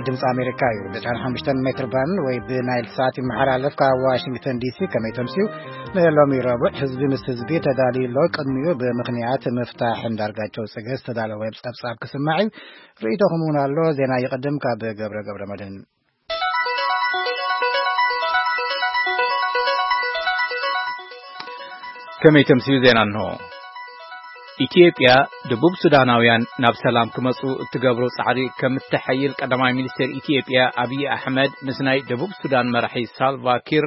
ድምፂ ኣሜሪካ እዩ። ብ15 ሜትር ባንድ ወይ ብናይል ሳት ይመሓላለፍ ካብ ዋሽንግተን ዲሲ። ከመይ ተምስዩ? ንሎሚ ረቡዕ ህዝቢ ምስ ህዝቢ ተዳልዩ ኣሎ። ቅድሚኡ ብምኽንያት ምፍታሕ እንዳርጋቸው ጽገ ዝተዳለወ ጸብጻብ ክስማዕ እዩ። ርእይቶኹም እውን ኣሎ። ዜና ይቕድም ካብ ገብረ ገብረ መድህን። ከመይ ተምስዩ? ዜና እንሆ። ኢትዮጵያ፣ ደቡብ ሱዳናውያን ናብ ሰላም ክመጹ እትገብሮ ጻዕሪ ከም እትሐይል ቀዳማይ ሚኒስትር ኢትዮጵያ ኣብይ ኣሕመድ ምስ ናይ ደቡብ ሱዳን መራሒ ሳልቫ ኪር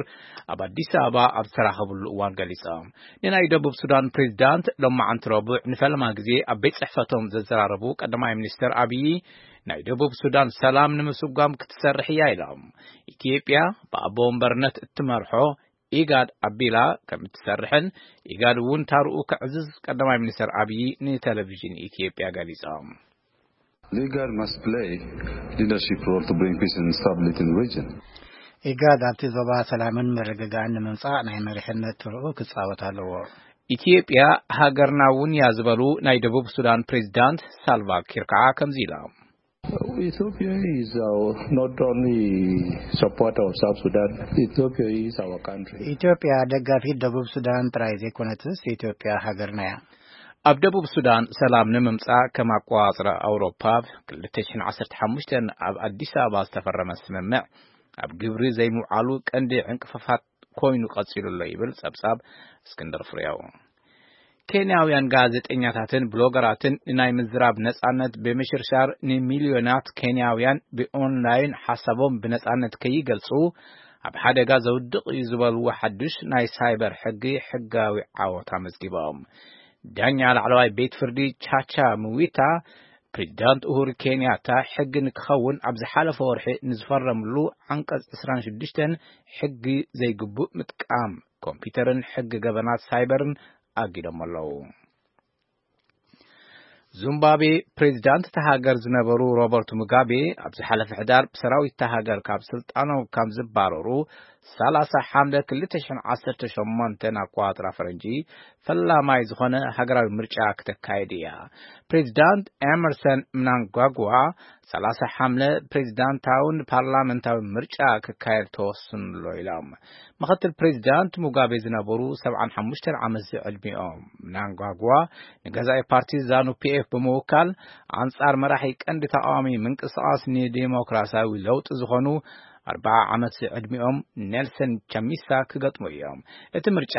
ኣብ ኣዲስ ኣበባ ኣብ ዝተራኸብሉ እዋን ገሊጾም። ንናይ ደቡብ ሱዳን ፕሬዝዳንት ሎማዓንቲ ረቡዕ ንፈለማ ግዜ ኣብ ቤት ጽሕፈቶም ዘዘራረቡ ቀዳማይ ሚኒስትር ኣብይ፣ ናይ ደቡብ ሱዳን ሰላም ንምስጓም ክትሰርሕ እያ ኢሎም። ኢትዮጵያ ብኣቦ ወንበርነት እትመርሖ ኢጋድ ኣቢላ ከም እትሰርሕን ኢጋድ እውን ታርኡ ከዕዝዝ ቀዳማይ ሚኒስትር ኣብይ ንቴሌቪዥን ኢትዮጵያ ገሊጾም። Leader must play leadership role to bring peace and stability in the region. ኢጋድ ኣብቲ ዞባ ሰላምን ምርግጋእን ንምምጻእ ናይ መሪሕነት ትርኡ ክጻወት ኣለዎ። ኢትዮጵያ ሃገርና እውን እያ ዝበሉ ናይ ደቡብ ሱዳን ፕሬዝዳንት ሳልቫ ኪር ከዓ ከምዚ ኢሎም። Ethiopia is our, not only supporter of South Sudan, Ethiopia is our country. ኢትዮጵያ ደጋፊት ደቡብ ሱዳን ጥራይ ዘይኮነትስ፣ ኢትዮጵያ ሃገርና እያ። ኣብ ደቡብ ሱዳን ሰላም ንምምጻእ ከም ኣቆጻጽራ ኣውሮፓ ብ2015 ኣብ ኣዲስ ኣበባ ዝተፈረመ ስምምዕ ኣብ ግብሪ ዘይምውዓሉ ቀንዲ ዕንቅፋፋት ኮይኑ ቀጺሉ ኣሎ ይብል ጸብጻብ እስክንድር ፍሬው። ኬንያውያን ጋዜጠኛታትን ብሎገራትን ንናይ ምዝራብ ነጻነት ብምሽርሻር ንሚልዮናት ኬንያውያን ብኦንላይን ሓሳቦም ብነጻነት ከይገልጹ ኣብ ሓደጋ ዘውድቕ እዩ ዝበልዎ ሓድሽ ናይ ሳይበር ሕጊ ሕጋዊ ዓወት ኣመዝጊቦም። ዳኛ ላዕለዋይ ቤት ፍርዲ ቻቻ ምዊታ፣ ፕሬዚዳንት ኡሁሩ ኬንያታ ሕጊ ንክኸውን ኣብ ዝሓለፈ ወርሒ ንዝፈረምሉ ዓንቀጽ 26 ሕጊ ዘይግቡእ ምጥቃም ኮምፒውተርን ሕጊ ገበናት ሳይበርን ኣጊዶም ኣለዉ። ዙምባብዌ ፕሬዚዳንት እታ ሃገር ዝነበሩ ሮበርት ሙጋቤ ኣብ ዝሓለፈ ሕዳር ብሰራዊት እታ ሃገር ካብ ስልጣኖም ካብ ዝባረሩ 30 ሓምለ 2018 ኣቆጻጽራ ፈረንጂ ፈላማይ ዝኾነ ሃገራዊ ምርጫ ክተካየድ እያ። ፕሬዚዳንት ኤመርሰን ምናንጓጓ 30 ሓምለ ፕሬዚዳንታውን ፓርላመንታዊ ምርጫ ክካየድ ተወስኑ ኣሎ ኢሎም። ምኽትል ፕሬዚዳንት ሙጋቤ ዝነበሩ 75 ዓመት ዝዕድሚኦም ምናንጓጓ ንገዛኢ ፓርቲ ዛኑ ፒኤፍ ብምውካል ኣንጻር መራሒ ቀንዲ ተቃዋሚ ምንቅስቃስ ንዲሞክራሲያዊ ለውጢ ዝኾኑ 40 ዓመት ዝዕድሚኦም ኔልሰን ቻሚሳ ክገጥሙ እዮም። እቲ ምርጫ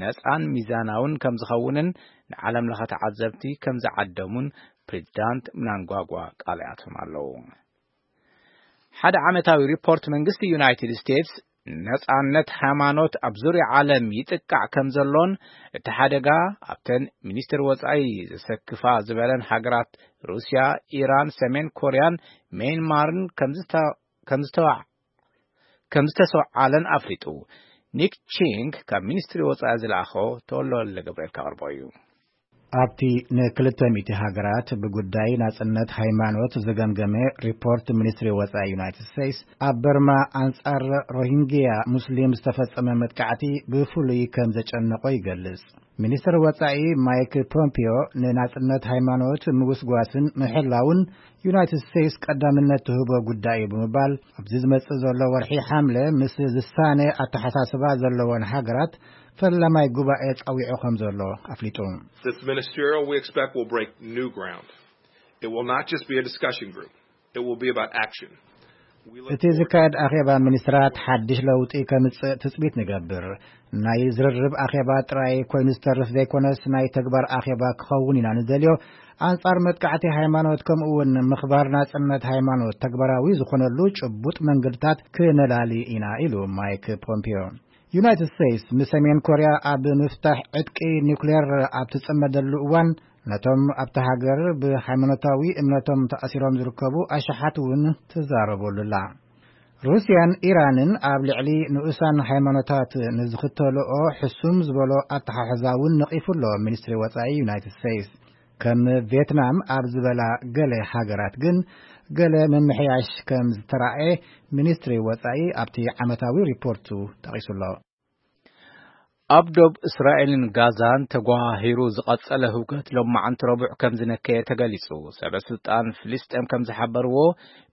ነጻን ሚዛናውን ከም ዝኸውንን ንዓለም ለኸ ተዓዘብቲ ከም ዝዓደሙን ፕሬዚዳንት ምናንጓጓ ቃል ኣትዮም ኣለዉ። ሓደ ዓመታዊ ሪፖርት መንግስቲ ዩናይትድ ስቴትስ ነጻነት ሃይማኖት ኣብ ዙርያ ዓለም ይጥቃዕ ከም ዘሎን እቲ ሓደጋ ኣብተን ሚኒስትር ወጻኢ ዘሰክፋ ዝበለን ሃገራት ሩስያ፣ ኢራን፣ ሰሜን ኮርያን ሜንማርን ከም ዝተ-፣ ከም ዝተዋ-፣ ከም ዝተሰውዓለን ኣፍሊጡ። ኒክ ቺንግ ካብ ሚኒስትሪ ወጻኢ ዝለኣኾ ተወልደ ወልደ ገብርኤል ከቕርቦ እዩ። ኣብቲ ንክልተ ሚእቲ ሃገራት ብጉዳይ ናጽነት ሃይማኖት ዝገምገመ ሪፖርት ሚኒስትሪ ወጻኢ ዩናይትድ ስቴትስ፣ ኣብ በርማ ኣንጻር ሮሂንግያ ሙስሊም ዝተፈጸመ መጥቃዕቲ ብፍሉይ ከም ዘጨነቆ ይገልጽ። ሚኒስትር ወጻኢ ማይክ ፖምፒዮ ንናጽነት ሃይማኖት ምውስጓስን ምሕላውን ዩናይትድ ስቴትስ ቀዳምነት ትህቦ ጉዳይ እዩ ብምባል፣ ኣብዚ ዝመጽእ ዘሎ ወርሒ ሓምለ ምስ ዝሳነ ኣተሓሳስባ ዘለወን ሃገራት ፈላማይ ጉባኤ ጸዊዑ ከም ዘሎ ኣፍሊጡ። This ministerial, we expect, will break new ground. It will not just be a discussion group. It will be about action. We look እቲ forward ዝካየድ ኣኼባ ሚኒስትራት ሓድሽ ለውጢ ከምጽእ ትጽቢት ንገብር። ናይ ዝርርብ ኣኼባ ጥራይ ኮይኑ ዝተርፍ ዘይኮነስ፣ ናይ ተግባር ኣኼባ ክኸውን ኢና ንደልዮ። ኣንጻር መጥቃዕቲ ሃይማኖት፣ ከምኡ እውን ምኽባር ናጽነት ሃይማኖት ተግባራዊ ዝኾነሉ ጭቡጥ መንገድታት ክነላሊ ኢና፣ ኢሉ ማይክ ፖምፒዮ። ዩናይትድ ስቴትስ ንሰሜን ኮርያ ኣብ ምፍታሕ ዕጥቂ ኒውክሌር ኣብ ትጽመደሉ እዋን፣ ነቶም ኣብታ ሃገር ብሃይማኖታዊ እምነቶም ተኣሲሮም ዝርከቡ ኣሽሓት እውን ትዛረበሉ ኣላ። ሩስያን ኢራንን ኣብ ልዕሊ ንኡሳን ሃይማኖታት ንዝኽተልኦ ሕሱም ዝበሎ ኣተሓሕዛ እውን ነቒፉ ኣሎ ሚኒስትሪ ወጻኢ ዩናይትድ ስቴትስ። ከም ቪየትናም ኣብ ዝበላ ገለ ሃገራት ግን ገለ ምምሕያሽ ከም ዝተራእየ ሚኒስትሪ ወጻኢ ኣብቲ ዓመታዊ ሪፖርቱ ጠቒሱ ኣሎ። ኣብ ዶብ እስራኤልን ጋዛን ተጓሃሂሩ ዝቐጸለ ህውከት ሎማዓንቲ ረቡዕ ከም ዝነከየ ተገሊጹ። ሰበ ስልጣን ፍልስጤም ከም ዝሓበርዎ፣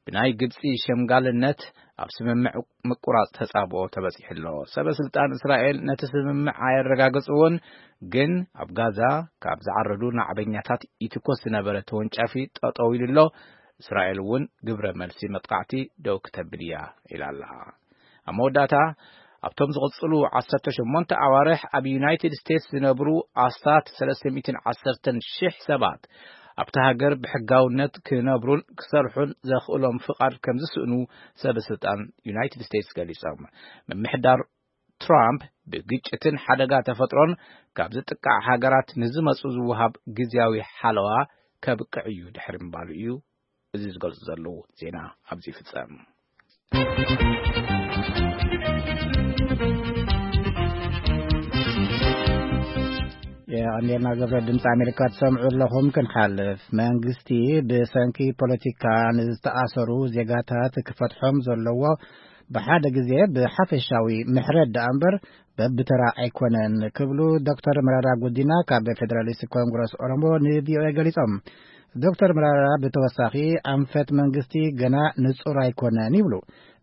ብናይ ግብጺ ሸምጋልነት ኣብ ስምምዕ ምቁራጽ ተጻብኦ ተበጺሑ ኣሎ። ሰበ ስልጣን እስራኤል ነቲ ስምምዕ ኣየረጋገጽዎን፣ ግን ኣብ ጋዛ ካብ ዝዓረዱ ናዕበኛታት ይትኮስ ዝነበረ ተወንጫፊ ጠጠው ኢሉ ኣሎ። እስራኤል እውን ግብረ መልሲ መጥቃዕቲ ደው ክተብል እያ ኢላ ኣላ። ኣብ መወዳእታ፣ ኣብቶም ዝቕጽሉ ዓሰርተ ሸሞንተ ኣዋርሕ ኣብ ዩናይትድ ስቴትስ ዝነብሩ ኣስታት ሰለስተ ሚእትን ዓሰርተን ሽሕ ሰባት ኣብታ ሃገር ብሕጋውነት ክነብሩን ክሰርሑን ዘኽእሎም ፍቓድ ከም ዝስእኑ ሰበ ስልጣን ዩናይትድ ስቴትስ ገሊጾም። ምምሕዳር ትራምፕ ብግጭትን ሓደጋ ተፈጥሮን ካብ ዝጥቃዕ ሃገራት ንዝመጹ ዝወሃብ ግዝያዊ ሓለዋ ከብቅዕ እዩ ድሕሪ ምባሉ እዩ እዚ ዝገልጹ ዘለዉ። ዜና ኣብዚ ይፍጸም። የቐንዴልና ገብረ። ድምፂ ኣሜሪካ ትሰምዑ ኣለኹም። ክንሓልፍ፣ መንግስቲ ብሰንኪ ፖለቲካ ንዝተኣሰሩ ዜጋታት ክፈትሖም ዘለዎ ብሓደ ግዜ ብሓፈሻዊ ምሕረት ደኣ እምበር በብተራ ኣይኮነን ክብሉ ዶክተር መረራ ጉዲና ካብ ፌደራሊስት ኮንግረስ ኦሮሞ ንቪኦኤ ገሊጾም። ዶክተር መረራ ብተወሳኺ ኣንፈት መንግስቲ ገና ንጹር ኣይኮነን ይብሉ።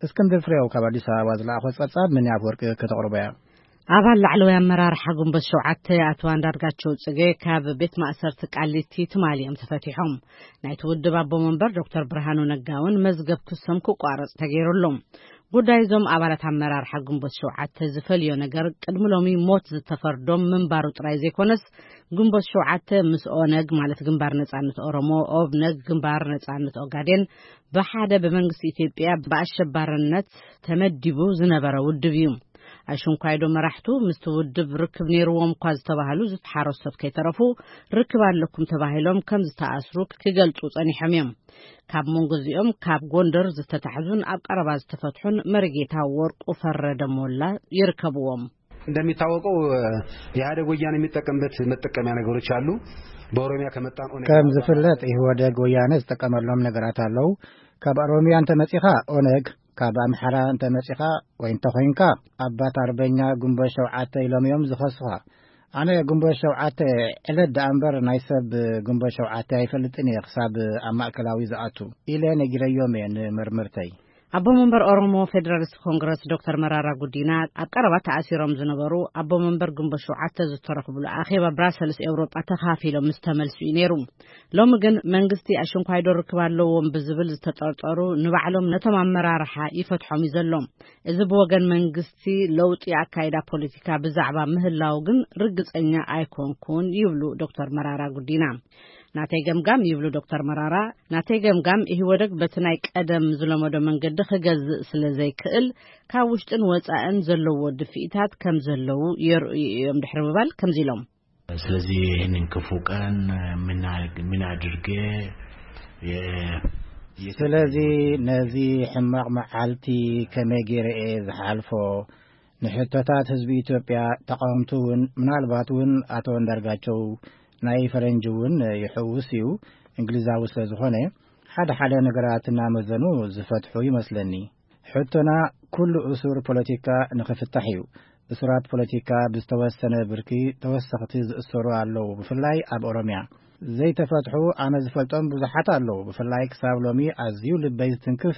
እስክንድር ፍሬው ካብ ኣዲስ ኣበባ ዝለኣኾ ጸብጻብ ምን ያብ ወርቂ ከተቕርቦ እያ። ኣባል ላዕለዋይ ኣመራርሓ ግንቦት ሸውዓተ ኣቶ ኣንዳርጋቸው ጽጌ ካብ ቤት ማእሰርቲ ቃሊቲ ትማሊ እዮም ተፈቲሖም። ናይቲ ውድብ ኣቦ መንበር ዶክተር ብርሃኑ ነጋ እውን መዝገብ ክሶም ክቋረጽ ተገይሩ ኣሎ። ጉዳይ እዞም ኣባላት ኣመራርሓ ግንቦት ሸውዓተ ዝፈልዮ ነገር ቅድሚ ሎሚ ሞት ዝተፈርዶም ምንባሩ ጥራይ ዘይኮነስ፣ ግንቦት ሸውዓተ ምስ ኦነግ፣ ማለት ግንባር ነጻነት ኦሮሞ፣ ኦብነግ፣ ግንባር ነጻነት ኦጋዴን፣ ብሓደ ብመንግስቲ ኢትዮጵያ ብኣሸባርነት ተመዲቡ ዝነበረ ውድብ እዩ። ኣሽንኳይዶ መራሕቱ ምስቲ ውድብ ርክብ ነይርዎም እኳ ዝተባህሉ ሓረስቶት ከይተረፉ ርክብ ኣለኩም ተባሂሎም ከም ዝተኣስሩ ክገልጹ ጸኒሖም እዮም። ካብ መንጎ እዚኦም ካብ ጎንደር ዝተታሕዙን ኣብ ቀረባ ዝተፈትሑን መሪጌታ ወርቁ ፈረደ ሞላ ይርከብዎም። እንደሚታወቀው ኢህአዴግ ወያኔ የሚጠቀምበት መጠቀሚያ ነገሮች አሉ። በኦሮሚያ ከመጣን ኦነግ ከም ዝፍለጥ ኢህወደግ ወያነ ዝጥቀመሎም ነገራት ኣለዉ። ካብ ኦሮሚያ እንተመጺኻ ኦነግ፣ ካብ ኣምሓራ እንተመጺኻ ወይ እንተኾይንካ ኣባት ኣርበኛ ግንቦት ሸውዓተ ኢሎም እዮም ዝኸሱኻ። ኣነ ግንቦት ሸውዓተ ዕለት ደኣ እምበር ናይ ሰብ ግንቦት ሸውዓተ ኣይፈልጥን እየ ክሳብ ኣብ ማእከላዊ ዝኣቱ ኢለ ነጊረዮም እየ ንመርምርተይ። ኣቦ መንበር ኦሮሞ ፌደራሊስት ኮንግረስ ዶክተር መራራ ጉዲና ኣብ ቀረባ ተኣሲሮም ዝነበሩ ኣቦ መንበር ግንቦት ሸውዓተ ዝተረኽብሉ ኣኼባ ብራሰልስ ኤውሮጳ ተኻፊሎም ምስ ተመልሱ እዩ ነይሩ። ሎሚ ግን መንግስቲ ኣሽንኳይዶ ርክብ ኣለዎም ብዝብል ዝተጠርጠሩ ንባዕሎም ነቶም ኣመራርሓ ይፈትሖም እዩ ዘሎ። እዚ ብወገን መንግስቲ ለውጢ ኣካይዳ ፖለቲካ ብዛዕባ ምህላው ግን ርግጸኛ ኣይኮንኩን ይብሉ ዶክተር መራራ ጉዲና። ናተይ ገምጋም ይብሉ ዶክተር መራራ፣ ናተይ ገምጋም ኢህወደግ በቲ ናይ ቀደም ዝለመዶ መንገዲ ክገዝእ ስለ ዘይክእል ካብ ውሽጥን ወጻእን ዘለዎ ድፍኢታት ከም ዘለዉ የርእዩ እዮም ድሕሪ ምባል ከምዚ ኢሎም። ስለዚህ ይህንን ክፉ ቀን ምን ምን አድርጌ የ- ስለዚ ነዚ ሕማቕ መዓልቲ ከመይ ገይረ እየ ዝሓልፎ? ንሕቶታት ህዝቢ ኢትዮጵያ፣ ተቓወምቲ እውን፣ ምናልባት እውን ኣቶ እንዳርጋቸው ናይ ፈረንጂ እውን ይሕውስ እዩ፣ እንግሊዛዊ ስለ ዝኾነ፣ ሓደ ሓደ ነገራት እናመዘኑ ዝፈትሑ ይመስለኒ። ሕቶና ኩሉ እሱር ፖለቲካ ንኽፍታሕ እዩ። እሱራት ፖለቲካ ብዝተወሰነ ብርኪ ተወሰኽቲ ዝእሰሩ ኣለዉ፣ ብፍላይ ኣብ ኦሮምያ። ዘይተፈትሑ ኣነ ዝፈልጦም ብዙሓት ኣለዉ፣ ብፍላይ ክሳብ ሎሚ ኣዝዩ ልበይ ዝትንክፍ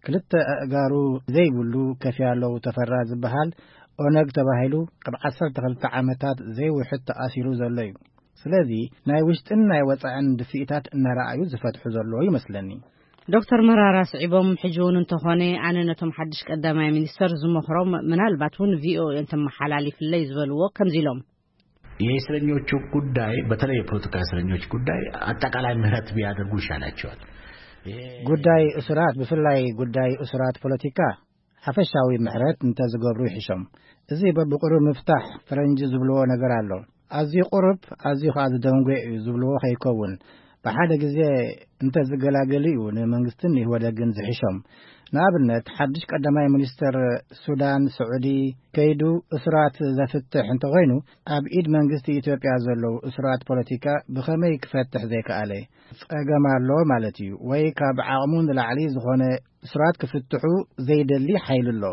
ክልተ ኣእጋሩ ዘይብሉ ከፊ ኣለዉ ተፈራ ዝበሃል ኦነግ ተባሂሉ ኣብ ዓሰርተ ክልተ ዓመታት ዘይውሕድ ተኣሲሩ ዘሎ እዩ። ስለዚ ናይ ውሽጥን ናይ ወጻእን ድፍኢታት እናረኣዩ ዝፈትሑ ዘለዉ ይመስለኒ። ዶክተር መራራ ስዒቦም፣ ሕጂ እውን እንተኾነ ኣነ ነቶም ሓድሽ ቀዳማይ ሚኒስተር ዝመኽሮም፣ ምናልባት እውን ቪኦኤ እንተመሓላሊፍለይ ዝበልዎ ከምዚ ኢሎም። የእስረኞቹ ጉዳይ፣ በተለይ የፖለቲካ እስረኞች ጉዳይ አጠቃላይ ምህረት ቢያደርጉ ይሻላቸዋል። ይሄ ጉዳይ እሱራት፣ ብፍላይ ጉዳይ እሱራት ፖለቲካ ሓፈሻዊ ምሕረት እንተዝገብሩ ይሕሾም። እዚ በብቁሩብ ምፍታሕ ፈረንጂ ዝብልዎ ነገር ኣሎ። ኣዝዩ ቁሩብ፣ ኣዝዩ ከኣ ዝደንጎ እዩ ዝብልዎ ከይከውን፣ ብሓደ ግዜ እንተዝገላገሉ እዩ ንመንግስትን ኢህወደግን ዝሕሾም። ንኣብነት፣ ሓድሽ ቀዳማይ ሚኒስተር ሱዳን፣ ስዑዲ ከይዱ እሱራት ዘፍትሕ እንተኾይኑ፣ ኣብ ኢድ መንግስቲ ኢትዮጵያ ዘለዉ እሱራት ፖለቲካ ብኸመይ ክፈትሕ ዘይከኣለ? ጸገም ኣሎ ማለት እዩ። ወይ ካብ ዓቕሙ ንላዕሊ ዝኾነ እሱራት ክፍትሑ ዘይደሊ ሓይሊ ኣሎ፣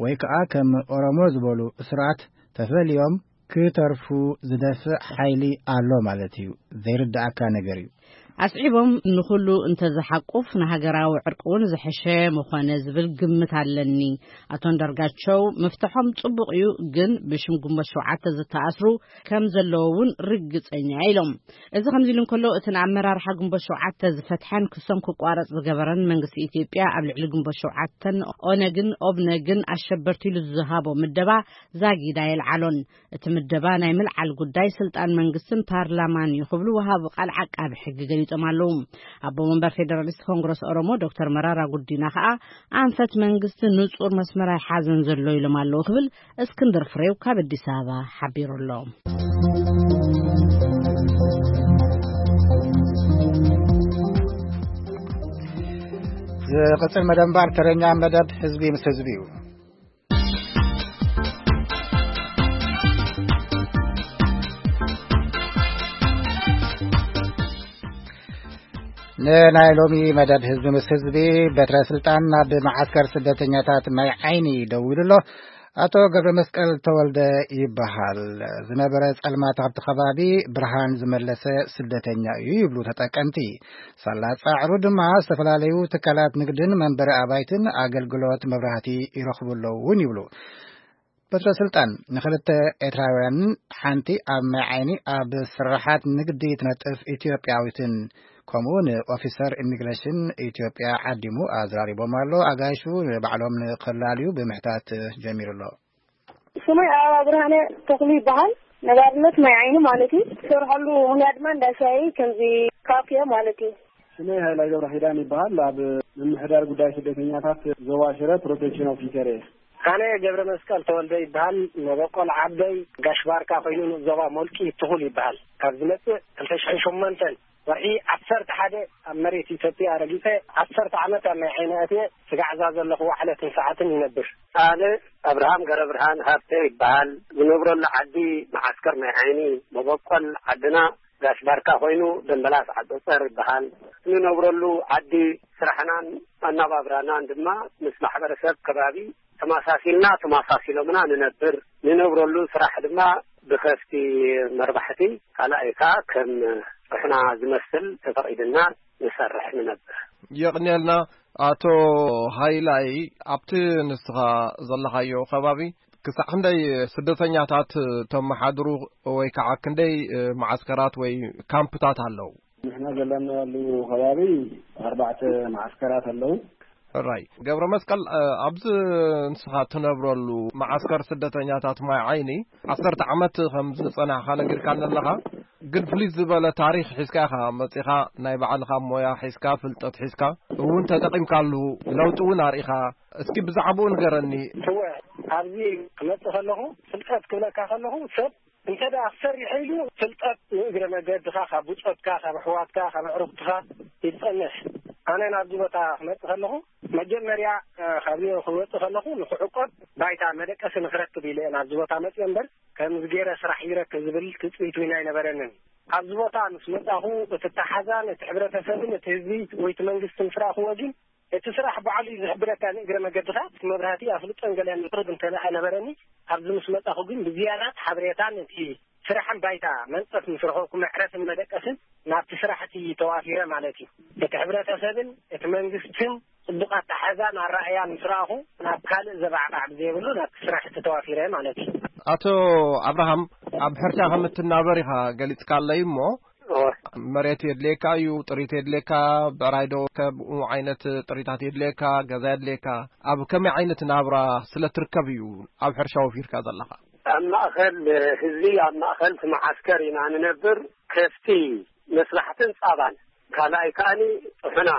ወይ ከኣ ከም ኦሮሞ ዝበሉ እሱራት ተፈልዮም ክተርፉ ዝደፍእ ሓይሊ ኣሎ ማለት እዩ። ዘይርድኣካ ነገር እዩ። ኣስዒቦም፣ ንኹሉ እንተዝሓቁፍ ንሃገራዊ ዕርቂ እውን ዝሐሸ ምኾነ ዝብል ግምት ኣለኒ። ኣቶ ኣንዳርጋቸው፣ ምፍትሖም ጽቡቕ እዩ፣ ግን ብሽም ግንቦት ሸውዓተ ዝተኣስሩ ከም ዘለዉ እውን ርግጸኛ ኢሎም። እዚ ከምዚ ኢሉ እንከሎ፣ እቲ ንኣመራርሓ ግንቦት ሸውዓተ ዝፈትሐን ክሶም ክቋረጽ ዝገበረን መንግስቲ ኢትዮጵያ፣ ኣብ ልዕሊ ግንቦት ሸውዓተን ኦነግን ኦብነግን ኣሸበርቲ ኢሉ ዝሃቦ ምደባ ዛጊዳ የልዓሎን። እቲ ምደባ ናይ ምልዓል ጉዳይ ስልጣን መንግስትን ፓርላማን እዩ ክብሉ ወሃቢ ቃል ዓቃቢ ሕጊ ገሊጾም ኣለዉ። ኣቦ መንበር ፌደራሊስት ኮንግረስ ኦሮሞ ዶክተር መራራ ጉዲና ከኣ ኣንፈት መንግስቲ ንጹር መስመር ኣይሓዘን ዘሎ ኢሎም ኣለዉ ክብል እስክንድር ፍሬው ካብ ኣዲስ ኣበባ ሓቢሩ ኣሎ። ዝቕጽል መደብ እምበኣር ተረኛ መደብ ህዝቢ ምስ ህዝቢ እዩ። ንናይ ሎሚ መደብ ህዝቢ ምስ ህዝቢ፣ በትረ ስልጣን ናብ መዓስከር ስደተኛታት ማይ ዓይኒ ደዊሉ ኣሎ። ኣቶ ገብረ መስቀል ተወልደ ይበሃል። ዝነበረ ጸልማት ኣብቲ ከባቢ ብርሃን ዝመለሰ ስደተኛ እዩ ይብሉ ተጠቀምቲ። ሳላ ጻዕሩ ድማ ዝተፈላለዩ ትካላት ንግድን መንበሪ ኣባይትን ኣገልግሎት መብራህቲ ይረኽቡ ኣለዉ እውን ይብሉ። በትረ ስልጣን ንኽልተ ኤርትራውያንን ሓንቲ ኣብ ማይ ዓይኒ ኣብ ስራሓት ንግዲ ትነጥፍ ኢትዮጵያዊትን፣ ከምኡ ንኦፊሰር ኢሚግሬሽን ኢትዮጵያ ዓዲሙ ኣዘራሪቦም ኣሎ። ኣጋይሹ ንባዕሎም ንኽላልዩ ብምሕታት ጀሚሩ ኣሎ። ስመይ ኣበባ ብርሃነ ተኽሉ ይበሃል። ነባርነት ማይ ዓይኒ ማለት እዩ። ዝሰርሐሉ ምኽንያት ድማ እንዳ ሻሂ ከምዚ ካፌ ማለት እዩ። ስመይ ሃይላይ ገብረ ኪዳን ይበሃል። ኣብ ምምሕዳር ጉዳይ ስደተኛታት ዞባ ሽረ ፕሮቴክሽን ኦፊሰር እየ። ኣነ ገብረ መስቀል ተወልደ ይበሃል። መበቆል ዓደይ ጋሽ ባርካ ኮይኑ ንዞባ ሞልቂ ትኹል ይበሃል። ካብ ዝመጽእ ክልተ ሽሕን ሸሞንተን ወርሒ ዓሰርተ ሓደ ኣብ መሬት ኢትዮጵያ ረጊጸ ዓሰርተ ዓመት ኣብ ናይ ዓይኒ ኣትየ ስጋዕዛ ዘለኹ ዋዕለትን ሰዓትን ይነብር። ኣነ ኣብርሃም ገረብርሃን ሃብተ ይበሃል። ዝነብረሉ ዓዲ መዓስከር ናይ ዓይኒ፣ መበቆል ዓድና ጋሽ ባርካ ኮይኑ ደምበላስ ዓጸጸር ይበሃል። እንነብረሉ ዓዲ ስራሕናን ኣናባብራናን ድማ ምስ ማሕበረሰብ ከባቢ ተመሳሲልና ተመሳሲሎምና ንነብር። ንነብረሉ ስራሕ ድማ ብከፍቲ መርባሕቲ፣ ካልኣይ ከኣ ከም ጥሕና ዝመስል ተፈቒድና ንሰርሕ ንነብር። የቕንየልና። ኣቶ ሃይላይ፣ ኣብቲ ንስኻ ዘለኻዮ ከባቢ ክሳዕ ክንደይ ስደተኛታት ተመሓድሩ ወይ ከዓ ክንደይ መዓስከራት ወይ ካምፕታት ኣለዉ? ንሕና ዘለናሉ ከባቢ ኣርባዕተ መዓስከራት ኣለዉ። ሕራይ ገብረ መስቀል፣ እ፣ ኣብዚ ንስኻ ትነብረሉ መዓስከር ስደተኛታት ማይ ዓይኒ ዓሰርተ ዓመት ከም ዝጸናሕካ ነጊርካኒ ኣለኻ። ግን ፍልይ ዝበለ ታሪኽ ሒዝካ ኢኻ መጺኻ፣ ናይ ባዕልኻ ሞያ ሒዝካ፣ ፍልጠት ሒዝካ እውን ተጠቒምካሉ፣ ለውጢ እውን ኣርኢኻ። እስኪ ብዛዕባኡ ንገረኒ። እወ፣ ኣብዚ ክመጽእ ከለኹ፣ ፍልጠት ክብለካ ከለኹ፣ ሰብ እንተ ደኣ ክሰርሕ ኢሉ፣ ፍልጠት ንእግረ መገድኻ፣ ካብ ብጾትካ፣ ካብ ኣሕዋትካ፣ ካብ ኣዕሩኽትኻ ይጸንሕ። ኣነ ናብዚ ቦታ ክመጽእ ከለኹ፣ መጀመርያ፣ እ፣ ካብዚ ክወጽእ ከለኹ፣ ንኽዕቆብ ባይታ መደቀሲ ንኽረክብ ኢለ እየ ናብዚ ቦታ መጽእ እምበር፣ ከምዚ ገይረ ስራሕ ይረክብ ዝብል ትጽቢት እውን ኣይነበረንን። ኣብዚ ቦታ ምስ መጻኹ፣ እቲ ተሓዛን እቲ ሕብረተሰብን እቲ ህዝቢ ወይ እቲ መንግስቲ ምስ ረኣኽዎ ግን፣ እቲ ስራሕ ባዕሉ እዩ ዝሕብረካ። ንእግረ መገድኻ እቲ መብራህቲ ኣፍልጦን ገለን ምቕርብ እንተ ደኣ ነበረኒ፣ ኣብዚ ምስ መጻኹ ግን ብዝያዳ ሓበሬታን እቲ ስራሕን ባይታ መንጸፍ ምስ ረኸብኩ፣ መዕረፍን መደቀስን ናብቲ ስራሕ እቲ ተዋፊረ ማለት እዩ። እቲ ሕብረተሰብን እቲ መንግስትን ጽቡቕ ኣተሓዛን ኣረኣእያን ምስ ረኣኹ፣ ናብ ካልእ ዘባዕባዕ ብዘይብሉ ናብቲ ስራሕ እቲ ተዋፊረ ማለት እዩ። ኣቶ ኣብርሃም፣ ኣብ ሕርሻ ከም እትናበር ኢኻ ገሊጽካለይ እሞ፣ እወ። መሬት የድልየካ እዩ፣ ጥሪት የድልየካ፣ ብዕራይ ዶ ከምኡ ዓይነት ጥሪታት የድልየካ፣ ገዛ የድልየካ፣ ኣብ ከመይ ዓይነት ናብራ ስለ ትርከብ እዩ ኣብ ሕርሻ ወፊርካ ዘለኻ? ኣብ ማእኸል ህዝቢ፣ ኣብ ማእኸል እቲ መዓስከር ኢና ንነብር። ከፍቲ መስራሕትን ጻባን፣ ካልኣይ ከኣኒ ጥሑና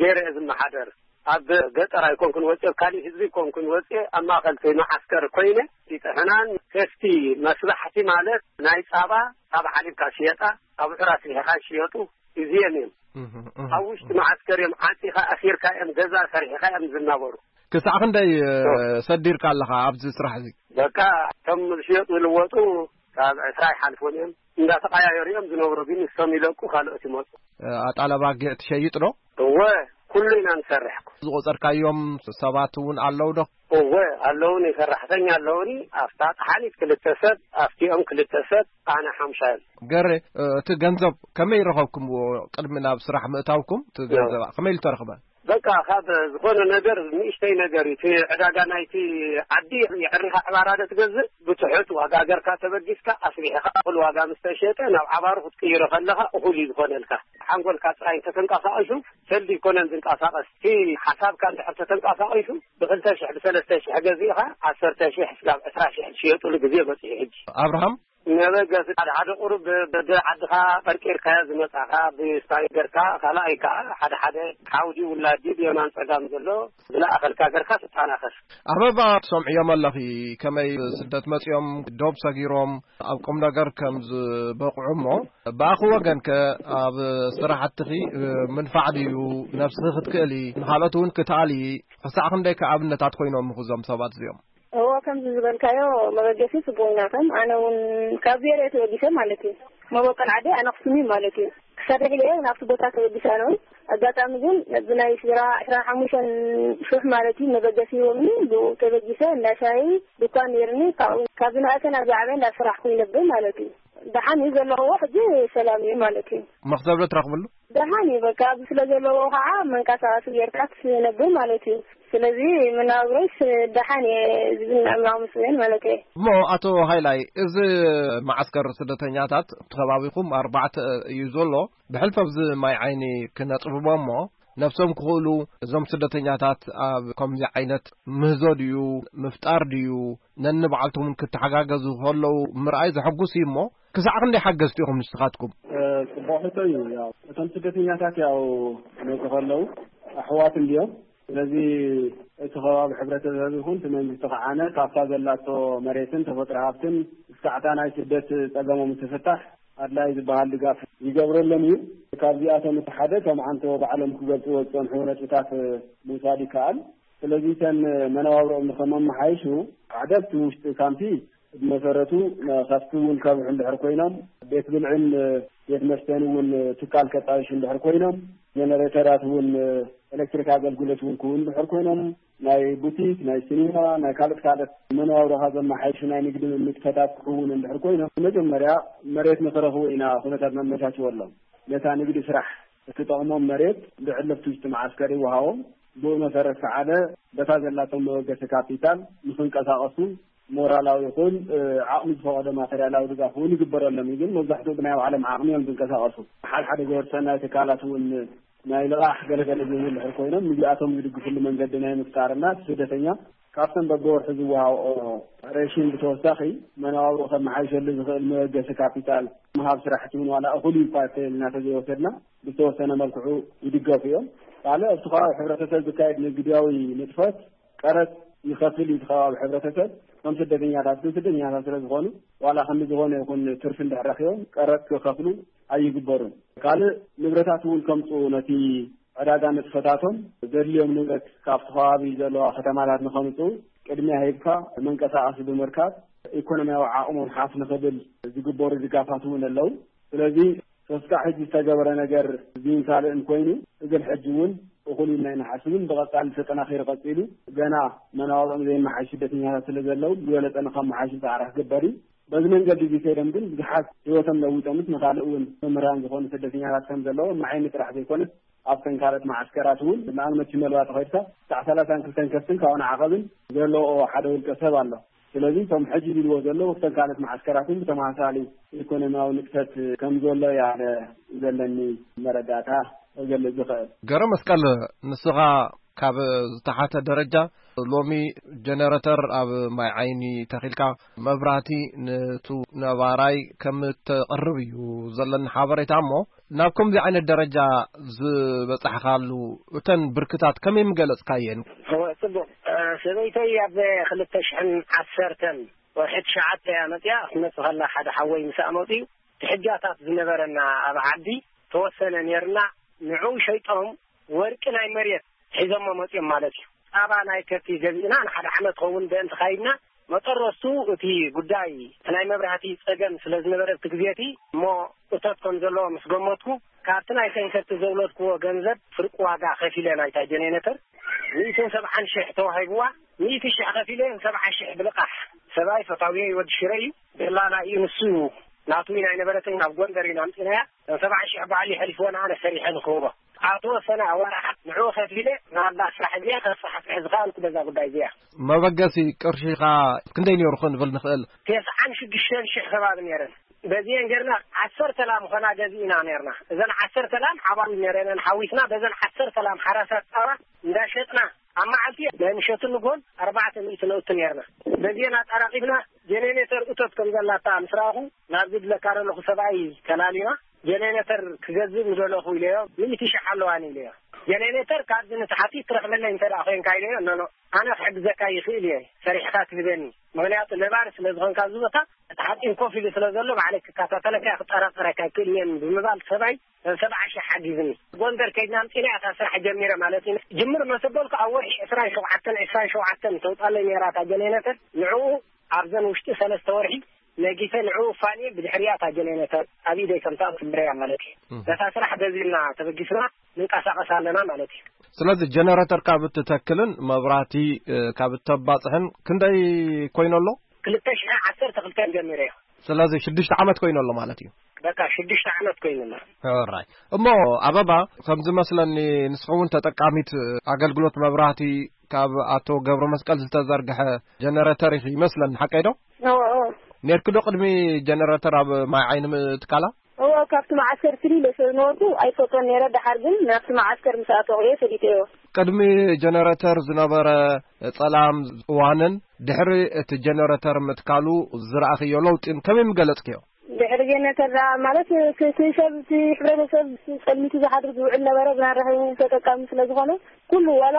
ገይረ እየ ዝመሓደር። ኣብ ገጠር ኣይኮንኩን ወፅየ፣ ኣብ ካሊእ ህዝቢ ኣይኮንኩን ወፅየ፣ ኣብ ማእኸል እቲ መዓስከር ኮይነ፣ እቲ ጥሑናን ከፍቲ መስራሕቲ ማለት ናይ ጻባ፣ ጻባ ሓሊብካ ሽየጣ፣ ኣብ ሑራ ስሊሕኻ ይሽየጡ፣ እዚኦም እዮም። እህ፣ እህ፣ ኣብ ውሽጢ እህ። መዓስከር እዮም ዓፂኻ ኣሲርካ እዮም፣ ገዛ ሰሪሕኻ እዮም ዝናበሩ። ክሳዕ ክንደይ፣ እ፣ ኦ። ሰዲርካ ኣለኻ ኣብዚ ስራሕ እዚ? በቃ፣ እቶም ዝሽየጡ ዝልወጡ ካብ ዕስራ ይሓልፉን እዮም። እንዳተቐያየሩ እዮም ዝነብሩ፣ ግን ንሶም ይለቁ፣ ካልኦት ይመፁ። እ፣ ኣጣል ኣባጊዕ ትሸይጥ ዶ? እወ። ኩሉ ኢና ንሰርሕ። ዝቆጸርካዮም ሰባት እውን ኣለዉ ዶ? እወ፣ ኣለዉኒ፣ ሰራሕተኛ ኣለዉኒ። ኣብታ ጠሓኒት ክልተ ሰብ፣ ኣብቲኦም ክልተ ሰብ፣ ኣነ ሓምሻዮም። ገረ፣ እቲ ገንዘብ ከመይ ረኸብኩምዎ? ቅድሚ ናብ ስራሕ ምእታውኩም እቲ ገንዘብ ከመይ ኢሉ ተረኽበ? በቃ፣ ካብ ዝኾነ ነገር፣ ንእሽተይ ነገር እዩ። እቲ ዕዳጋ ናይቲ ዓዲ፣ የዕሪኻ ዕባራ ዶ ትገዝእ? ብትሑት ዋጋ ገርካ ተበጊስካ፣ ኣስቢሕኻ እኹል ዋጋ ምስ ተሸጠ፣ ናብ ዓባሩ ክትቅይሮ ከለኻ እኹል እዩ ዝኾነልካ። ሓንጎልካ ጥራይ እንተተንቀሳቒሱ፣ ሰልዲ ይኮነን ዝንቀሳቐስ። እቲ ሓሳብካ እንድሕር ተተንቀሳቒሱ፣ ብክልተ ሽሕ፣ ብሰለስተ ሽሕ ገዚእኻ፣ ዓሰርተ ሽሕ እስካብ ዕስራ ሽሕ ዝሽየጡሉ ግዜ በፂሑ ሕጂ። ኣብርሃም? ነበገስ ሓደ ሓደ ቁሩብ ብ-፣ ብ-፣ ዓድኻ ቀርቂርካዮ ዝመጻኻ፣ ብስታይ ገርካ፣ ካልኣይ ከኣ ሓደ ሓደ ሓውዲ ውላዲ ብየማን ጸጋም ዘሎ ዝለኣኸልካ ገርካ ትጠናኸር። ኣበባ፣ ትሰምዕዮም ኣለኺ፣ ከመይ ስደት መጺኦም ዶብ ሰጊሮም ኣብ ቁም ነገር ከም ዝበቕዑ እሞ፣ ብኣኺ ወገን ከ ኣብ ስራሕትኺ ምንፋዕ ድዩ፣ ነብስኺ ክትክእሊ፣ ንኻልኦት እውን ክትኣሊ፣ ክሳዕ ክንደይ ከ ኣብነታት ኮይኖም እዞም ሰባት እዚኦም? እዎ፣ ከምዚ ዝበልካዮ መበገሲ ጽቡቕ ኢና። ከም ኣነ እውን ካብ ዜሮ እየ ተበጊሰ ማለት እዩ። መበቆል ዓደይ ኣነ ኣኽሱም እዩ ማለት እዩ። ክሳብ ሕጂ እውን ኣብቲ ቦታ ተበጊሰ ኣነ እውን። ኣጋጣሚ ግን ብናይ ስድራ ዕስራን ሓሙሽተን ሽሕ ማለት እዩ መበገሲ ሂቦምኒ፣ ብኡ ተበጊሰ። እንዳ ሻሂ ድኳን ነይርኒ። ካብኡ ካብ ዝነኣሰ ናብ ዝዓበየ እንዳሰራሕኩ ይነብር ማለት እዩ። ደሓን እዩ ዘለኽዎ፣ ሕጂ ሰላም እዩ ማለት እዩ። መኽሰብ ዶ ትረኽብሉ? ደሓን እዩ፣ በቃ፣ ኣብዚ ስለ ዘለዎ ከዓ መንቀሳቐሲ ጌርካ ትነብር ማለት እዩ። ስለዚ መነባብሮይስ ደሓን እየ ዝብል፣ ኣምላኽ ምስገን ማለት እየ። እሞ ኣቶ ሃይላይ፣ እዚ መዓስከር ስደተኛታት ከባቢኹም ኣርባዕተ እዩ ዘሎ። ብሕልፊ ኣብዚ ማይ ዓይኒ ክነጥብቦ እሞ፣ ነብሶም ክኽእሉ እዞም ስደተኛታት ኣብ ከምዚ ዓይነት ምህዞ ድዩ፣ ምፍጣር ድዩ፣ ነንባዕልቶም እውን ክተሓጋገዙ ከለዉ ምርኣይ ዘሐጉስ እዩ እሞ፣ ክሳዕ ክንደይ ሓገዝቲ ኢኹም ንስኻትኩም? እ፣ ጽቡቕ ሕቶ እዩ። ያው እቶም ስደተኛታት ያው ክመጹ ከለዉ ኣሕዋት እንድዮም። ስለዚ እቲ ከባቢ ሕብረተሰብ ይኹን እቲ መንግስቲ ከዓነ ካብታ ዘላቶ መሬትን ተፈጥሮ ሃብትን እስካዕታ ናይ ስደት ጸገሞም እንትፍታሕ ኣድላይ ዝበሃል ድጋፍ ይገብረሎም እዩ። ካብዚኣቶም እቲ ሓደ ከም ዓንቶ ባዕሎም ክገልጽዎ ዝጸንሑ ነጥብታት ምውሳድ ይከኣል። ስለዚ እተን መነባብሮኦም ንኸመመሓይሹ ሓደ ኣብቲ ውሽጢ ካምፒ ብመሰረቱ ከፍቲ እውን ከብሑ እንድሕር ኮይኖም፣ ቤት ብልዕን ቤት መስተን እውን ትካል ከጣይሹ እንድሕር ኮይኖም፣ ጀነሬተራት እውን ኤሌክትሪክ ኣገልግሎት እውን ክህቡ እንድሕር ኮይኖም፣ ናይ ቡቲክ፣ ናይ ሲኒማ፣ ናይ ካልኦት ካልኦት መነባብሮኻ ዘመሓይሹ ናይ ንግዲ ንጥፈታት ክህውን እንድሕር ኮይኖም፣ መጀመርያ መሬት ንኽረኽቡ ኢና ኩነታት ነመቻችወሎም። ነታ ንግዲ ስራሕ እትጠቕሞም መሬት ብዕልፍቲ ውሽጢ መዓስከር ይወሃቦም። ብኡ መሰረት ከዓለ በታ ዘላቶም መበገሲ ካፒታል ንኽንቀሳቐሱ ሞራላዊ ይኹን፣ እ፣ ዓቕሚ ዝፈቐዶ ማተርያላዊ ድጋፍ እውን ይግበረሎም እዩ። ግን መብዛሕትኡ ብናይ ባዕሎም ዓቕሚ እዮም ዝንቀሳቐሱ። ሓድሓደ ግብረ ሰናይ ትካላት እውን ናይ ልቓሕ ገለገለ ዝህቡ እንድሕር ኮይኖም፣ ንዚኣቶም ዝድግፍሉ መንገዲ ናይ ምፍጣርና፣ እቲ ስደተኛ ካብቶም በብወርሒ ዝወሃብኦ ሬሽን ብተወሳኺ መነባብሮ ከመሓይሸሉ ዝኽእል መበገሲ ካፒታል ምሃብ ስራሕቲ እውን ዋላ እኹል እዩ እኳ እንተኢልና ተዘይወሰድና፣ ብዝተወሰነ መልክዑ ይድገፉ እዮም። ካልእ ኣብቲ ከባቢ ሕብረተሰብ ዝካየድ ንግዳዊ ንጥፈት ቀረጽ ይኸፍል እዩ እቲ ከባቢ ሕብረተሰብ። እቶም ስደተኛታት ግን ስደተኛታት ስለ ዝኾኑ፣ ዋላ ክንዲ ዝኾነ ይኹን ትርፊ እንድሕር ረኺቦም ቀረጽ ክኸፍሉ ኣይግበሩን። ካልእ ንብረታት እውን ከምጽኡ፣ ነቲ ዕዳጋ ንጥፈታቶም ዘድልዮም ንብረት ካብቲ ከባቢ ዘለዋ ከተማታት ንኸምጽኡ ቅድሚያ ሂብካ መንቀሳቐሲ ብምርካብ ኢኮኖሚያዊ ዓቕሞም ሓፍ ንኽብል ዝግበሩ ድጋፋት እውን ኣለዉ። ስለዚ ተስካዕ ሕጂ ዝተገበረ ነገር እዚን ካልእን ኮይኑ፣ እግን ሕጂ እውን እኹል ኢልና ኣይንሓስብን። ብቐጻሊ ተጠናኺሩ ቀጺሉ፣ ገና መናዋብኦም ዘይመሓሽ ስደተኛታት ስለ ዘለዉ፣ ዝበለጸ ንኸመሓሹ ጻዕሪ ክግበር እዩ። በዚ መንገዲ እዚ ከይዶም ግን ብዙሓት ህይወቶም ለዊጦምስ ንኻልእ እውን መምህራን ዝኾኑ ስደተኛታት ከም ዘለዉ፣ መዓይኒ ጥራሕ ዘይኮነስ ኣብተን ካልኦት መዓስከራት እውን፣ ንኣብነት ሽመልባ ተኸድካ ክሳዕ ሰላሳን ክልተን ከፍትን ካብኡ ንዓቐብን ዘለዎ ሓደ ውልቀ ሰብ ኣሎ። ስለዚ እቶም ሕጂ ዝብልዎ ዘለዉ ኣብተን ካልኦት መዓስከራት እውን ብተመሳሳሊ ኢኮኖሚያዊ ንጥፈት ከም ዘሎ እያ ዘለኒ መረዳእታ ክገልጽ ዝኽእል። ገረ መስቀል፣ ንስኻ ካብ ዝተሓተ ደረጃ ሎሚ ጀነረተር ኣብ ማይ ዓይኒ ተኺልካ መብራህቲ ነቱ ነባራይ ከም እተቕርብ እዩ ዘለኒ ሓበሬታ። እሞ ናብ ከምዚ ዓይነት ደረጃ ዝበጻሕካሉ እተን ብርክታት ከመይ ምገለጽካየን? እወ፣ ጽቡቕ። እ፣ ሰበይተይ ኣብ ክልተ ሽሕን ዓሰርተን ወርሒ ትሽዓተ እያ መጺኣ። ክትመጽእ ከላ ሓደ ሓወይ ምስኣ መጺኡ፣ እቲ ሕጃታት ዝነበረና ኣብ ዓዲ ተወሰነ ነይርና፣ ንዕኡ ሸይጦም ወርቂ ናይ መሬት ሒዞሞ መጺኦም ማለት እዩ። ጻባ ናይ ከብቲ ገዚእና ንሓደ ዓመት ክኸውን ደእን ተኻይድና፣ መጠረስቱ እቲ ጉዳይ ናይ መብራህቲ ጸገም ስለ ዝነበረ ኣብቲ ግዜ እቲ እሞ እቶት ከም ዘለዎ ምስ ገመትኩ፣ ካብቲ ናይ ሰንከቲ ዘውለድክዎ ገንዘብ ፍርቂ ዋጋ ከፊለ ናይታ ጀኔሬተር ሚእትን ሰብዓን ሽሕ ተዋሂብዋ። ሚእቲ ሽሕ ከፊለ ሰብዓ ሽሕ ብልቓሕ። ሰብኣይ ፈታውየይ ወዲ ሽረ እዩ። ደላላ እዩ ንሱ። ናቱ ናይ ነበረተይ ናብ ጎንደር ኢና ኣምፂናያ። ሰብዓ ሽሕ ባዕሉ ይሐሊፍዎ ንኣነ ሰሪሐ ንክህቦ። ኣብ ተወሰነ ኣዋርሓት ንዕኡ ከፊለ ናብዛ ስራሕ እዚኣ ከስፋሕፍሕ ዝኸኣልኩ በዛ ጉዳይ እዚኣ። መበገሲ ቅርሺኻ ክንደይ ነይሩ ክንብል ንኽእል? ተስዓን ሽዱሽተን ሽሕ ከባቢ ነይረን። በዚአን ጌርና ዓሰርተ ላም ኾና ገዚእና ነይርና። እዘን ዓሰርተ ላም ሓባሩ ነይረን ሓዊስና በዘን ዓሰርተ ላም ሓራሳት ፃባ እንዳሸጥና ኣብ መዓልቲ ናይ ምሸትን ንግሆን ኣርባዕተ ሚእቲ ነውቲ ነይርና። በዚአን ኣጣራቒብና ጀኔሬተር እቶት ከም ዘላታ ምስ ረኣኹ ናብዚ ድለካ ዘለኹ ሰብኣይ ተላልዩና ጀኔሬተር ክገዝእ ምደለኹ ኢለዮ። ሚእቲ ሽሕ ኣለዋኒ ኢለዮ። ጀኔሬተር ካብዚ ንታሕቲ ትረኽበለይ እንተ ደኣ ኮይንካ ኢለዮ። ኖኖ፣ ኣነ ክሕግዘካ ይኽእል እየ፣ ሰሪሕካ ትህበኒ። ምኽንያቱ ነባሪ ስለ ዝኾንካ ኣብዚ ቦታ እቲ ሓፂን ኮፍ ኢሉ ስለ ዘሎ ባዕለይ ክከታተለካ እየ፣ ክጠራጠረካ ይክእል እየ ብምባል ሰብኣይ ሰብዓ ሽሕ ሓጊዝኒ። ጎንደር ከይድና ኣምፂና እያ እታ ስራሕ ጀሚረ ማለት እዩ። ጅምር መሰበልኩ ኣብ ወርሒ ዕስራን ሸውዓተን ዕስራን ሸውዓተን ተውፃለይ ነይራ እታ ጀኔሬተር። ንዕኡ ኣብዘን ውሽጢ ሰለስተ ወርሒ ነጊሰ ንዕኡ ፋንየ ብድሕሪያ እታ ጀኔሬተር ኣብ ኢደይ ከምታ ትምረያ ማለት እዩ። እም። ነታ ስራሕ በዚልና ተበጊስና ንንቀሳቐስ ኣለና ማለት እዩ። ስለዚ ጀነረተር ካብ እትተክልን መብራህቲ፣ እ፣ ካብ እተባጽሕን ክንደይ ኮይኑ ኣሎ? ክልተ ሽሕ ዓሰርተ ክልተ ጀሚረ እየ። ስለዚ ሽዱሽተ ዓመት ኮይኑ ኣሎ ማለት እዩ። በቃ ሽዱሽተ ዓመት ኮይኑ ኣሎ። ሕራይ። እሞ ኣበባ፣ ከም ዝመስለኒ ንስኺ እውን ተጠቃሚት ኣገልግሎት መብራህቲ ካብ ኣቶ ገብረ መስቀል ዝተዘርግሐ ጀነረተር ኢኺ ይመስለኒ፣ ሓቀይ ዶ? እዎ፣ እዎ። ኔርኪ ዶ ቅድሚ ጀነረተር ኣብ ማይ ዓይኒ ምትካላ? እዎ፣ ካብቲ መዓስከር ፍልይ ኢለ ስለ ዝነበርኩ ኣይፈልጦን ነይረ። ደሓር ግን ናብቲ መዓስከር ምስ ኣተኹ እየ ፈሊጠዮ። ቅድሚ ጀነረተር ዝነበረ ጸላም እዋንን ድሕሪ እቲ ጀነረተር ምትካሉ ዝረኣኽዮ ለውጢን ከመይ ምገለጽክዮ? ድሕሪ ጀነተር ደኣ ማለት፣ እቲ፣ እቲ ሰብ፣ እቲ ሕብረተሰብ ጸልሚቱ ዝሓድር ዝውዕል ነበረ፣ ብናን ረኺቡ ተጠቃሚ ስለ ዝኾነ፣ ኩሉ ዋላ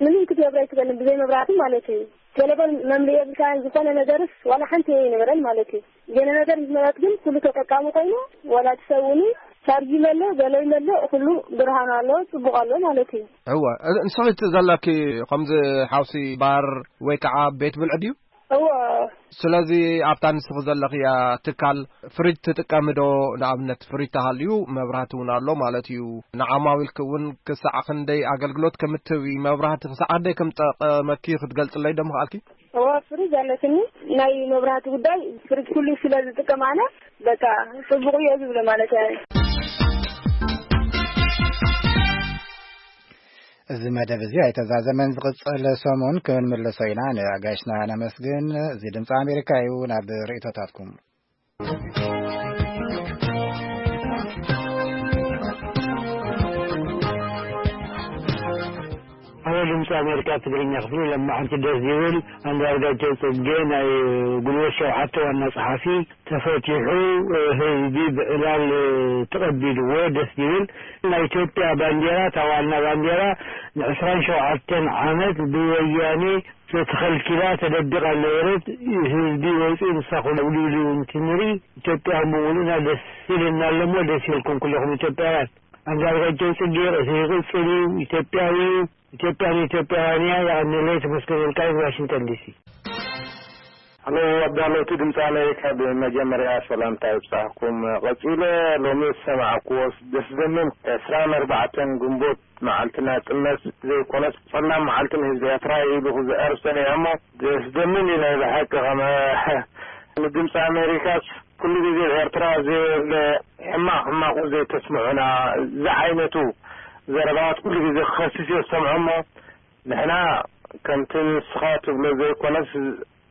ምንም ክትገብር ኣይትኽእልን ብዘይ መብራህቲ ማለት እዩ። ቴሌፎን መምልኢ የብልካን፣ ዝኾነ ነገርስ ዋላ ሓንቲ ኣይነበረን ማለት እዩ። ጀነረተር ምስ መጸት ግን ኩሉ ተጠቃሚ ኮይኑ፣ ዋላ እቲ ሰብ እውን ቻርጅ ይመልእ፣ ገለ ይመልእ፣ ኩሉ ብርሃን ኣሎ፣ ጽቡቕ ኣሎ ማለት እዩ። እወ፣ እ-፣ ንስኺ እቲ ዘለኪ ከምዚ ሓውሲ ባር ወይ ከዓ ቤት ብልዒ ድዩ? እወ። ስለዚ ኣብታ ንስኺ ዘለኽያ ትካል ፍሪጅ ትጥቀሚ ዶ? ንኣብነት ፍሪጅ ተሃልዩ መብራህቲ እውን ኣሎ ማለት እዩ። ንዓማዊልኪ እውን ክሳዕ ክንደይ ኣገልግሎት ከም እትህቢ፣ መብራህቲ ክሳዕ ክንደይ ከም ጠቐመኪ ክትገልጽለይ ዶ ምኽኣልኪ? እወ፣ ፍሪጅ ኣለትኒ። ናይ መብራህቲ ጉዳይ ፍሪጅ ኩሉ ስለ ዝጥቀም ኣነ፣ በቃ፣ ጽቡቕ እየ ዝብሎ ማለት እየ። እዚ መደብ እዚ ኣይተዛዘመን። ዝቕጽል ሰሙን ክንምለሶ ኢና። ንኣጋይሽና ነመስግን። እዚ ድምፂ ኣሜሪካ እዩ። ናብ ርእይቶታትኩም። ኣብ ድምፂ ኣሜሪካ ትግርኛ ክፍሊ ለማዓንቲ ደስ ዝብል ኣንዳርጋቸው ጽጌ ናይ ጉልበት ሸውዓተ ዋና ጸሓፊ ተፈቲሑ፣ ህዝቢ ብዕላል ተቐቢልዎ። ደስ ዝብል። ናይ ኢትዮጵያ ባንዴራ፣ እታ ዋና ባንዴራ፣ ንዕስራን ሸውዓተን ዓመት ብወያኔ ተተኸልኪላ ተደቢቓ ነበረት። ህዝቢ ወፂኡ ንሳ ኮነ ብልብሉ እንትንርኢ ኢትዮጵያ ብምሉእና ደስ ኢልና ኣለሞ። ደስ ኢልኩም ኩለኹም ኢትዮጵያውያን። ኣንዳርጋቸው ጽጌ ርእሲ ይቕጽል እዩ። ኢትዮጵያዊ እዩ። ኢትዮጵያ ንኢትዮጵያውያን እያ። የቐንየለይ። ተመስገን ወልቃይት፣ ዋሽንግተን ዲሲ። ሃሎ ኣዳለውቲ ድምፂ ኣሜሪካ፣ ብመጀመርያ ሰላምታ ይብፃሕኩም። ቀፂለ ሎሚ ዝሰማዕኩዎ ደስ ዘምን ዕስራን ኣርባዕተን ግንቦት መዓልቲ ናፅነት ዘይኮነስ ፀላም መዓልቲ ንህዝቢ ኤርትራ እዩ ኢሉ ክዝዕር ሰሚዐ እሞ ደስ ዘምን እዩ ናይ ብሓቂ። ከመ ንድምፂ ኣሜሪካስ ኩሉ ግዜ ኤርትራ ዘየለ ሕማቕ ሕማቑ ዘይተስምዑና ዝዓይነቱ ዘረባታት ኩሉ ግዜ ክኸስስ እየ ዝሰምዖ እሞ ንሕና ከምቲ ንስኻ ትብሎ ዘይኮነስ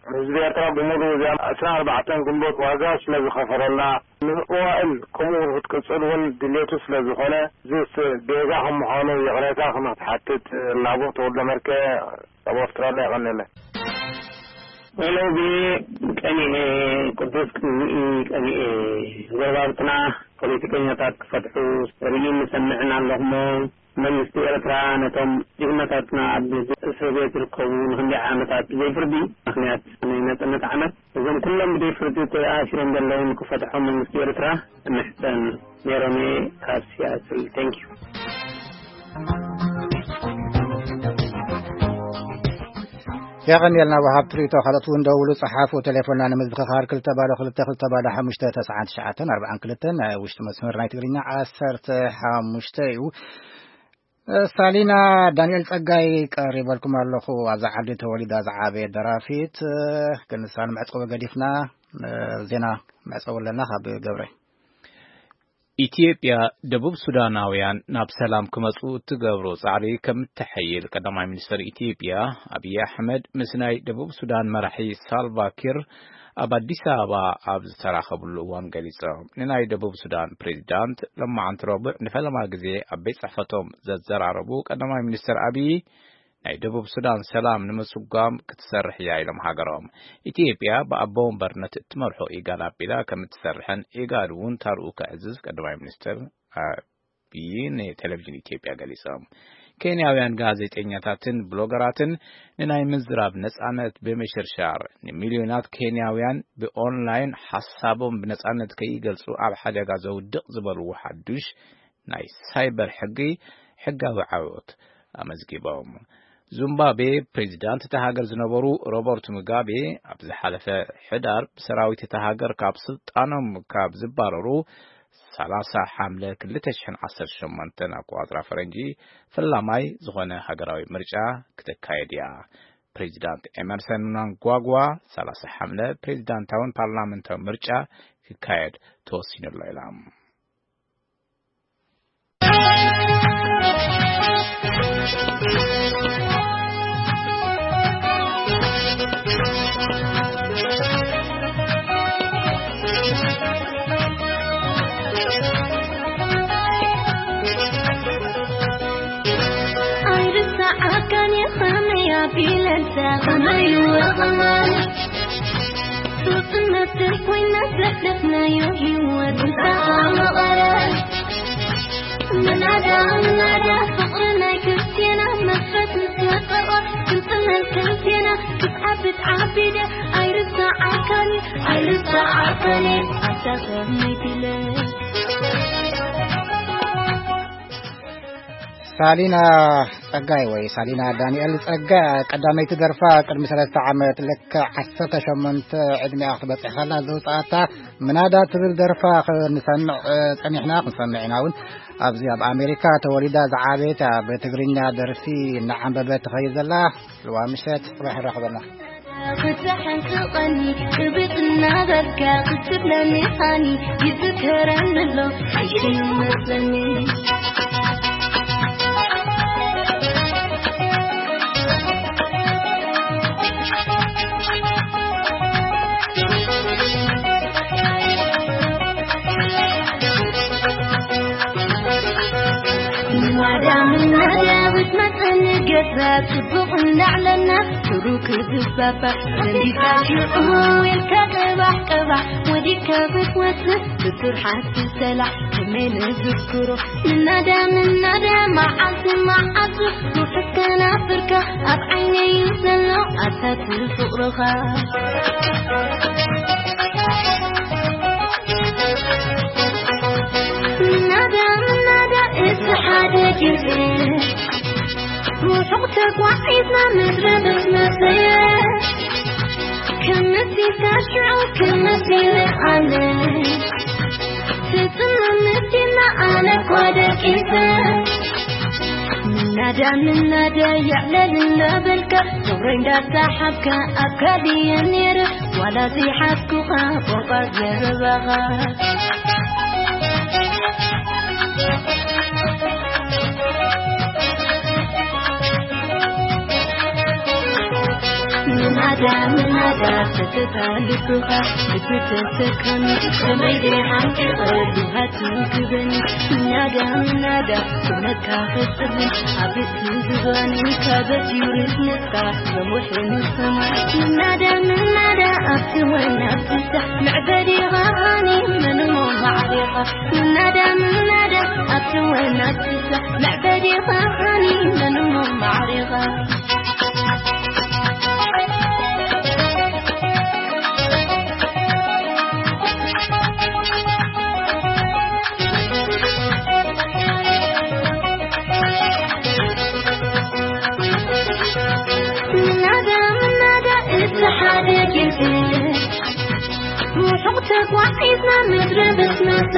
ህዝቢ ኤርትራ ብምሉእ እዚኣ ዕስራን ኣርባዕተን ግንቦት ዋጋ ስለ ዝኸፈለላ ንመዋእል ከምኡ ክትቅጽል እውን ድሌቱ ስለ ዝኾነ እዚስ ጌጋ ከም ምዃኑ ይቕሬታ ከም ክትሓትት ላቦ ተወልደ መርኬ ኣብ ኣውስትራልያ የቐንየለይ። ሄሎ፣ ብየ ቀኒኤ፣ ቅዱስ ቅንኢ ቀኒኤ። ጎረባብትና ፖለቲከኛታት ክፈትሑ ርኢ ንሰምዕን ኣለኹሞ። መንግስቲ ኤርትራ ነቶም ጅግናታትና ኣብ እስር ቤት ዝርከቡ ንክንደይ ዓመታት ብዘይ ፍርዲ ምኽንያት ናይ ናጽነት ዓመት እዞም ኩሎም ብዘይ ፍርዲ ተኣሲሮም ዘለዉ ንክፈትሖም መንግስቲ ኤርትራ እምሕጸን። ሜሮሜ ካብ ሲያትል። Thank you። የቐንየልና ወሃብ ትርኢቶ። ካልኦት እውን ደውሉ፣ ጸሓፉ። ቴሌፎንና ንምዝኽኻር ክልተ ባዶ ክልተ ክልተ ባዶ ሓሙሽተ ተስዓን ትሽዓተን ኣርባዓን ክልተን፣ ናይ ውሽጢ መስመር ናይ ትግርኛ ዓሰርተ ሓሙሽተ እዩ። ሳሊና ዳንኤል ጸጋይ ቀሪበልኩም ኣለኹ። ኣብዛ ዓዲ ተወሊዳ ዝዓበየት ደራፊት፣ ግን ንሳ ንመዕጸዊ ገዲፍና፣ ዜና መዕጸዊ ኣለና ካብ ገብረ። ኢትዮጵያ ደቡብ ሱዳናውያን ናብ ሰላም ክመጹ እትገብሮ ጻዕሪ ከም እትሐይል ቀዳማይ ሚኒስትር ኢትዮጵያ ኣብይ ኣሕመድ ምስ ናይ ደቡብ ሱዳን መራሒ ሳልቫ ኪር ኣብ ኣዲስ ኣበባ ኣብ ዝተራኸብሉ እዋን ገሊጾም። ንናይ ደቡብ ሱዳን ፕሬዚዳንት ሎማዓንቲ ረቡዕ ንፈለማ ግዜ ኣብ ቤት ጽሕፈቶም ዘዘራረቡ ቀዳማይ ሚኒስትር ኣብይ፣ ናይ ደቡብ ሱዳን ሰላም ንምስጓም ክትሰርሕ እያ ኢሎም ሃገሮም። ኢትዮጵያ ብኣቦ ወንበርነት እትመርሖ ኢጋድ ኣቢላ ከም እትሰርሕን ኢጋድ እውን ታርኡ ከዕዝዝ ቀዳማይ ሚኒስትር ኣብይ ንቴሌቪዥን ኢትዮጵያ ገሊጾም። ኬንያውያን ጋዜጠኛታትን ብሎገራትን ንናይ ምዝራብ ነጻነት ብምሽርሻር፣ ንሚልዮናት ኬንያውያን ብኦንላይን ሓሳቦም ብነጻነት ከይገልጹ ኣብ ሓደጋ ዘውድቕ ዝበልዎ ሓዱሽ ናይ ሳይበር ሕጊ ሕጋዊ ዓወት ኣመዝጊቦም። ዙምባቤ ፕሬዚዳንት እታ ሃገር ዝነበሩ ሮበርት ሙጋቤ ኣብ ዝሓለፈ ሕዳር ብሰራዊት እታ ሃገር ካብ ስልጣኖም ካብ ዝባረሩ ሰላሳ ሓምለ ክልተ ሽሕን ዓሰርተ ሸሞንተን ኣቆጻጽራ ፈረንጂ ፈላማይ ዝኾነ ሃገራዊ ምርጫ ክትካየድ እያ። ፕሬዚዳንት ኤመርሰን ምናንጓጓ ሰላሳ ሓምለ ፕሬዚዳንታውን ፓርላመንታዊ ምርጫ ክካየድ ተወሲኑ ኣሎ ኢላ። ኣይርሳዓካን እየ ከመይ ኣቢለ እንተ ከመይ ወቐማል ፍቕነት ኮይና ዘሕለፍናዮ ህይወት እንተኣመቐረ ምናዳ ምናዳ ፍቕሪ ናይ ክርስትያና መስረት ምስ ወጠቐ ክንጽለል ክንቴና ክትዓብድ ዓቢደ ኣይርሳዓካን እየ ኣይርሳዓካን እየ ኣታ ከመይ ቢለ ሳሊና ጸጋይ ወይ ሳሊና ዳንኤል ጸጋይ ቀዳመይቲ ደርፋ ቅድሚ ሰለስተ ዓመት ልክዕ ዓሰርተ ሸሞንተ ዕድሚኣ ክትበጽሕ ከላ ዘውጽኣታ ምናዳ ትብል ደርፋ ክንሰምዕ፣ እ፣ ጸኒሕና፣ ክንሰምዕ ኢና እውን። ኣብዚ ኣብ ኣሜሪካ ተወሊዳ ዝዓበየት ኣብ ትግርኛ ደርፊ እናዓንበበት ትኸይድ ዘላ ጽልዋ ምሸት ጽባሕ ንራኸበና። ክትሓንቅቐኒ ቅብጥ እናበልካ ክትብለኒ ሃኒ ይዝከረኒ ኣሎ ሓይሽ ይመስለኒ። ማዳ ምናዳ ብትመፀኒ ገዛ ፅቡቕ እንዳዕለና ሽሩ ክዝባባ ዘንቢካ ሽዑ ኢልካ ቀባሕ ቀባሕ ወዲካ ክትወፅእ ብስርሓት ትሰላሕ ከመይ ንዝክሮ ምናዳ ምናዳ መዓልቲ መዓልቲ ርሑስ ከናፍርካ ኣብ ዓይነይ ዘሎ ኣታ ፍቕርኻ ምናዳ ምናዳ እቲ ሓደ ግዜ ርሑቕ ተጓዒዝና ምድረ ምስ መሰየ ክምሲልካ ሽዑ ክምሲለ ኣነ ትጽምም ምስኪና ኣነ እኳ ደቂሰ ምናዳ ምናዳ የዕለል እንዳበልካ ፍቕረይ እንዳሰሓብካ ኣብ ካልየ ነይረ ዋላ ዘይሓዝኩኻ ቋንቋ ዘረባኻ ምናዳ ምናዳ ተተታልኩኻ ብትተሰከሚ ከመይ ደይ ሓንቂቐ ብሃቱ ክበኒ ምናዳ ምናዳ ኩነካ ክጽብን ኣብ እቲ ዝባኒ ካበት ዩርስ ንስኻ ዘሙሕን ሰማይ ምናዳ ምናዳ ኣብቲ ወናብትሳ መዕበዲኻ ሃኒ ምንሞ ማዕሪኻ ምናዳ ምናዳ ኣብቲ ወናብትሳ መዕበዲኻ ሃኒ ምንሞ ማዕሪኻ ምናዳ ምናዳ ዋዒትና ምድሪ ብስመተ